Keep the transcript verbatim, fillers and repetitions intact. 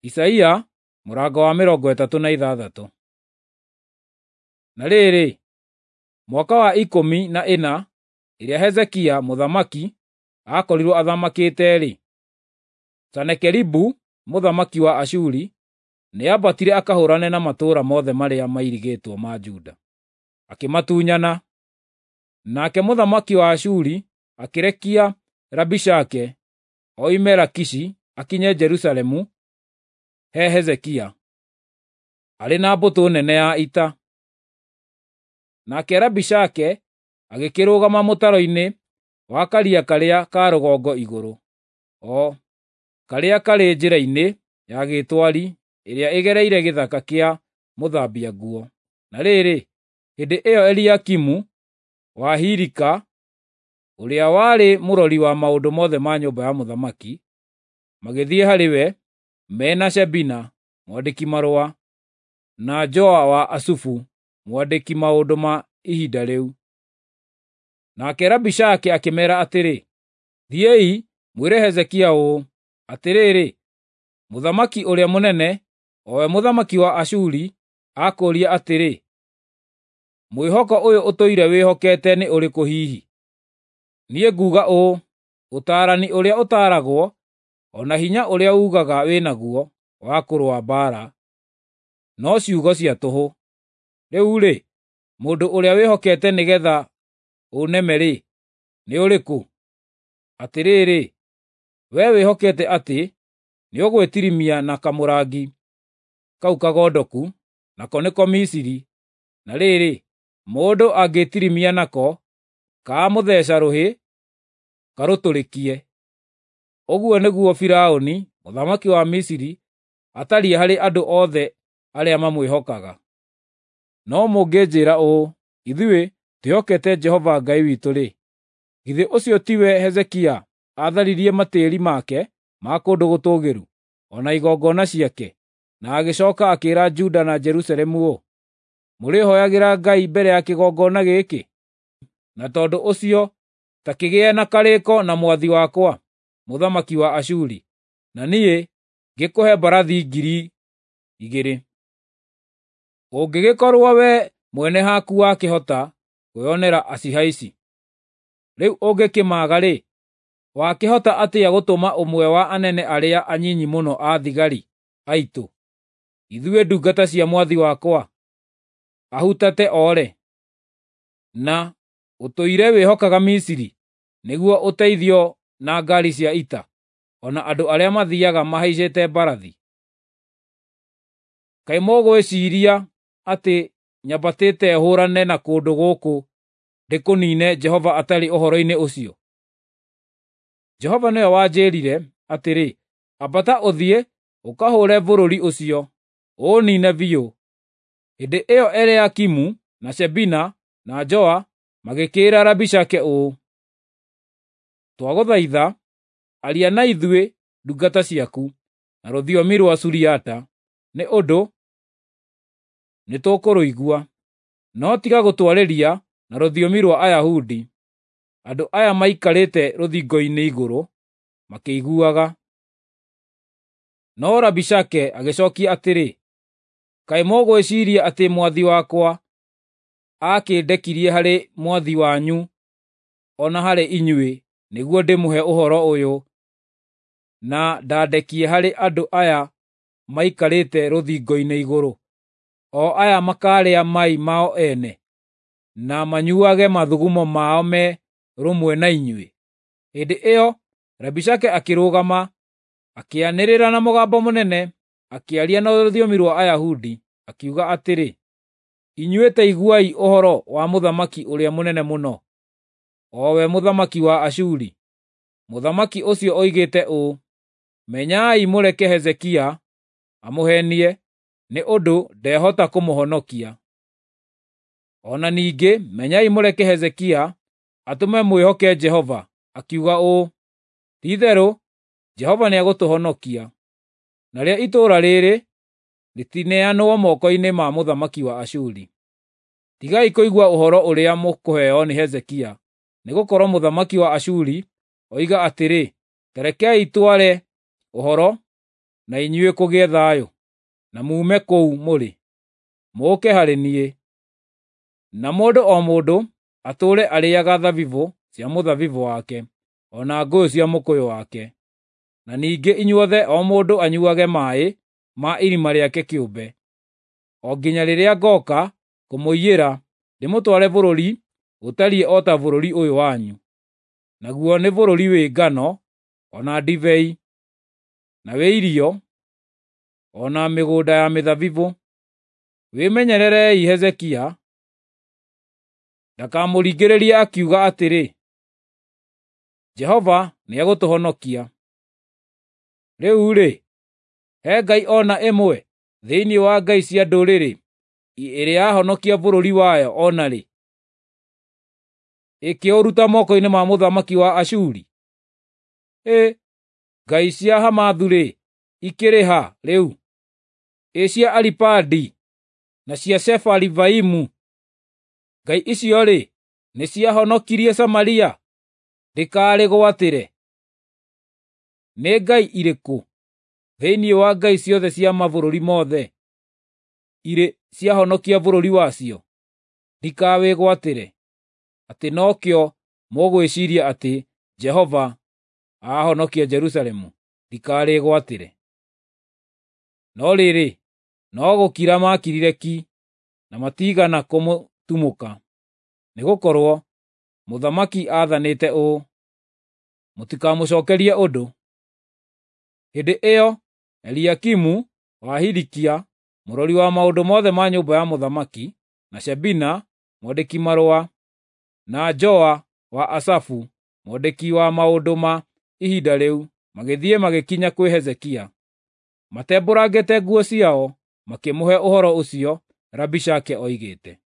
Isaia mũrango wa mĩrongo ĩtatũ na ithathatũ. Na rĩrĩ, mwaka wa ikũmi na ĩna ĩrĩa Hezekia mũthamaki aakorirwo athamakĩte-rĩ, Senakeribu mũthamaki wa Ashuri nĩambatire akahũũrane na matũũra mothe marĩa mairigĩtwo ma Juda, akĩmatunyana. Nake mũthamaki wa Ashuri akĩrekia Rabishake oime Lakishi akinye Jerusalemu he Hezekia, arĩ na mbũtũ nene ya ita. Nake Rabishake agĩkĩrũgama mũtaro-inĩ wa karia karĩa ka rũgongo igũrũ, o karĩa karĩ njĩra-inĩ ya gĩtwari ĩrĩa ĩgereire gĩthaka kĩa mũthambia nguo. Na rĩrĩ, hĩndĩ ĩyo Eliakimu wa Hilika, ũrĩa warĩ mũrori wa maũndũ mothe ma nyũmba ya mũthamaki, magĩthiĩ harĩ we me na Shebina mwandĩki-marũa, na Joa wa Asufu mwandĩki maũndũ ma ihinda rĩu. Nake Rabishake akĩmeera atĩrĩ, “Thiĩi mwĩre Hezekia ũũ, 'Atĩrĩrĩ, mũthamaki ũrĩa mũnene, o we mũthamaki wa Ashuri, akũũria atĩrĩ, mwĩhoko ũyũ ũtũire wĩhokete nĩ ũrĩkũ hihi? Niĩ nguuga ũũ, ũtaarani ũrĩa ũtaaragwo, o na hinya ũrĩa uugaga wĩ naguo wa kũrũa mbaara, no ciugo cia tũhũ. Rĩu-rĩ, mũndũ ũrĩa wĩhokete nĩgeetha ũneme-rĩ, nĩ ũrĩkũ? Atĩrĩrĩ, wee wĩhokete atĩ nĩũgwĩtirimia na kamũrangi kau kagondoku, nako nĩko Misiri, na rĩrĩ, mũndũ angĩĩtirimia nako, kaamũtheeca rũhĩ karũtũrĩkie. Ũguo nĩguo Firaũni mũthamaki wa Misiri atariĩ harĩ andũ othe arĩa mamwĩhokaga. No mũngĩnjĩĩra ũũ, ‘Ithuĩ twĩhokete Jehova Ngai witũ-rĩ,’ githĩ ũcio tiwe Hezekia aatharirie matĩĩri make ma kũndũ gũtũũgĩru, o na igongona ciake, na agĩcooka akĩĩra Juda na Jerusalemu ũũ, ‘Mũrĩhooyagĩra Ngai mbere ya kĩgongona gĩkĩ?’ Na tondũ ũcio ta kĩgĩe na karĩĩko na mwathi wakwa, mũthamaki wa Ashuri, na niĩ ngĩkũhe mbarathi ngiri igĩrĩ. Ũngĩgĩkorwo wee mwene haku wakĩhota kwĩonera acihaici. Rĩu ũngĩkĩmaaga-rĩ, wakĩhota atĩa gũtũma ũmwe wa anene arĩa anyinyi mũno a thigari aitũ, ithuĩ ndungata cia mwathi wakwa, ahutate oore? Na ũtũire wĩhokaga Misiri nĩguo ũteithio na ngaari cia ita, o na andũ arĩa mathiiaga mahaicĩte mbarathi. Kaĩ mũgwĩciiria atĩ nyambatĩte hũũrane na kũndũ gũkũ ndĩkũniine Jehova atarĩ ũhoro-inĩ ũcio? Jehova nĩwe wanjĩĩrire atĩrĩ, ‘Ambata ũthiĩ ũkahũũre bũrũri ũcio, ũũniine biũ.’ ” Hĩndĩ ĩyo Eliakimu na Shebina na Joa magĩkĩĩra Rabishake ũũ, “Twagũthaitha, aria na ithuĩ ndungata ciaku na rũthiomi rwa Suriata, nĩ ũndũ nĩtũkũrũigua. No tiga gũtwarĩria na rũthiomi rwa Ayahudi, andũ aya maikarĩte rũthingo-inĩ igũrũ makĩiguaga.” No Rabishake agĩcookia atĩrĩ, “Kaĩ mũgwĩciiria atĩ mwathi wakwa aakĩndekirie harĩ mwathi wanyu o na harĩ inyuĩ nĩguo ndĩmũhe ũhoro ũyũ na ndandekie harĩ andũ aya maikarĩte rũthingo-inĩ igũrũ, o aya makaarĩa mai mao ene, na manyuuage mathugumo mao me rũmwe na inyuĩ?” Hĩndĩ ĩyo Rabishake akĩrũgama, akĩanĩrĩra na mũgambo mũnene, akĩaria na rũthiomi rwa Ayahudi, akiuga atĩrĩ, “Inyuĩ ta iguai ũhoro wa mũthamaki ũrĩa mũnene mũno, o we mũthamaki wa Ashuri. Mũthamaki ũcio oigĩte ũũ, ‘Menyai mũreke Hezekia amũheenie, nĩ ũndũ ndehota kũmũhonokia. O na ningĩ menyai mũreke Hezekia atũme mwĩhoke Jehova, akiuga ũũ, “Ti-itherũ Jehova nĩegũtũhonokia, narĩo itũũra rĩĩrĩ rĩtineanwo moko-inĩ ma mũthamaki wa Ashuri.” Tigai kũigua ũhoro ũrĩa mũkũheo nĩ Hezekia, nĩgũkorwo mũthamaki wa Ashuri oiga atĩrĩ, ‘Ta rekei tware ũhoro na inyuĩ kũgĩe thayũ, na muume kũu mũrĩ, mũũke harĩ niĩ. Na mũndũ o mũndũ atũũre arĩĩaga thabibũ cia mũthabibũ wake, o na ngũyũ cia mũkũyũ wake. Na ningĩ inyuothe o mũndũ anyuuage maaĩ ma irima rĩake kĩũmbe, o nginya rĩrĩa ngooka kũmũiyĩra ndĩmũtware bũrũri ũtariĩ o ta bũrũri ũyũ wanyu, naguo nĩ bũrũri wĩ ngano, o na ndibei, na wĩ irio, o na mĩgũnda ya mĩthabibũ. Wĩmenyererei Hezekia ndakamũringĩrĩrie akiuga atĩrĩ, 'Jehova nĩegũtũhonokia.' Rĩu-rĩ, he ngai o na ĩmwe thĩinĩ wa ngai cia ndũrĩrĩ ĩrĩ yahonokia bũrũri wayo o na rĩ, ĩkĩũruta moko-inĩ ma mũthamaki wa Ashuri? Hĩ, ngai cia Hamathu-rĩ, ikĩrĩ ha rĩu? Ĩ cia Aripadi na cia Sefarivaimu? Ngai icio-rĩ, nĩciahonokirie Samaria ndĩkarĩgwatĩre? Nĩ ngai irĩkũ thĩinĩ wa ngai ciothe cia mabũrũri mothe irĩ ciahonokia bũrũri wacio ndikawĩgwatĩre, atĩ nokĩo mũgwĩciiria atĩ Jehova aahonokia Jerusalemu ndikarĩgwatĩre? No rĩrĩ, no gũkira maakirire ki, na matiigana kũmũtumũka, nĩgũkorwo mũthamaki aathanĩte ũũ, “Mũtikamũcookerie ũndũ.” Hĩndĩ ĩyo Eliakimu wa Hilikia, mũrori wa maũndũ mothe ma nyũmba ya mũthamaki, na Shebina mwandĩki-marũa, na Joa wa Asafu mwandĩki wa maũndũ ma ihinda rĩu, magĩthiĩ magĩkinya kwĩ Hezekia. Matembũrangĩte nguo ciao, makĩmũhe ũhoro ũcio Rabishake oigĩte.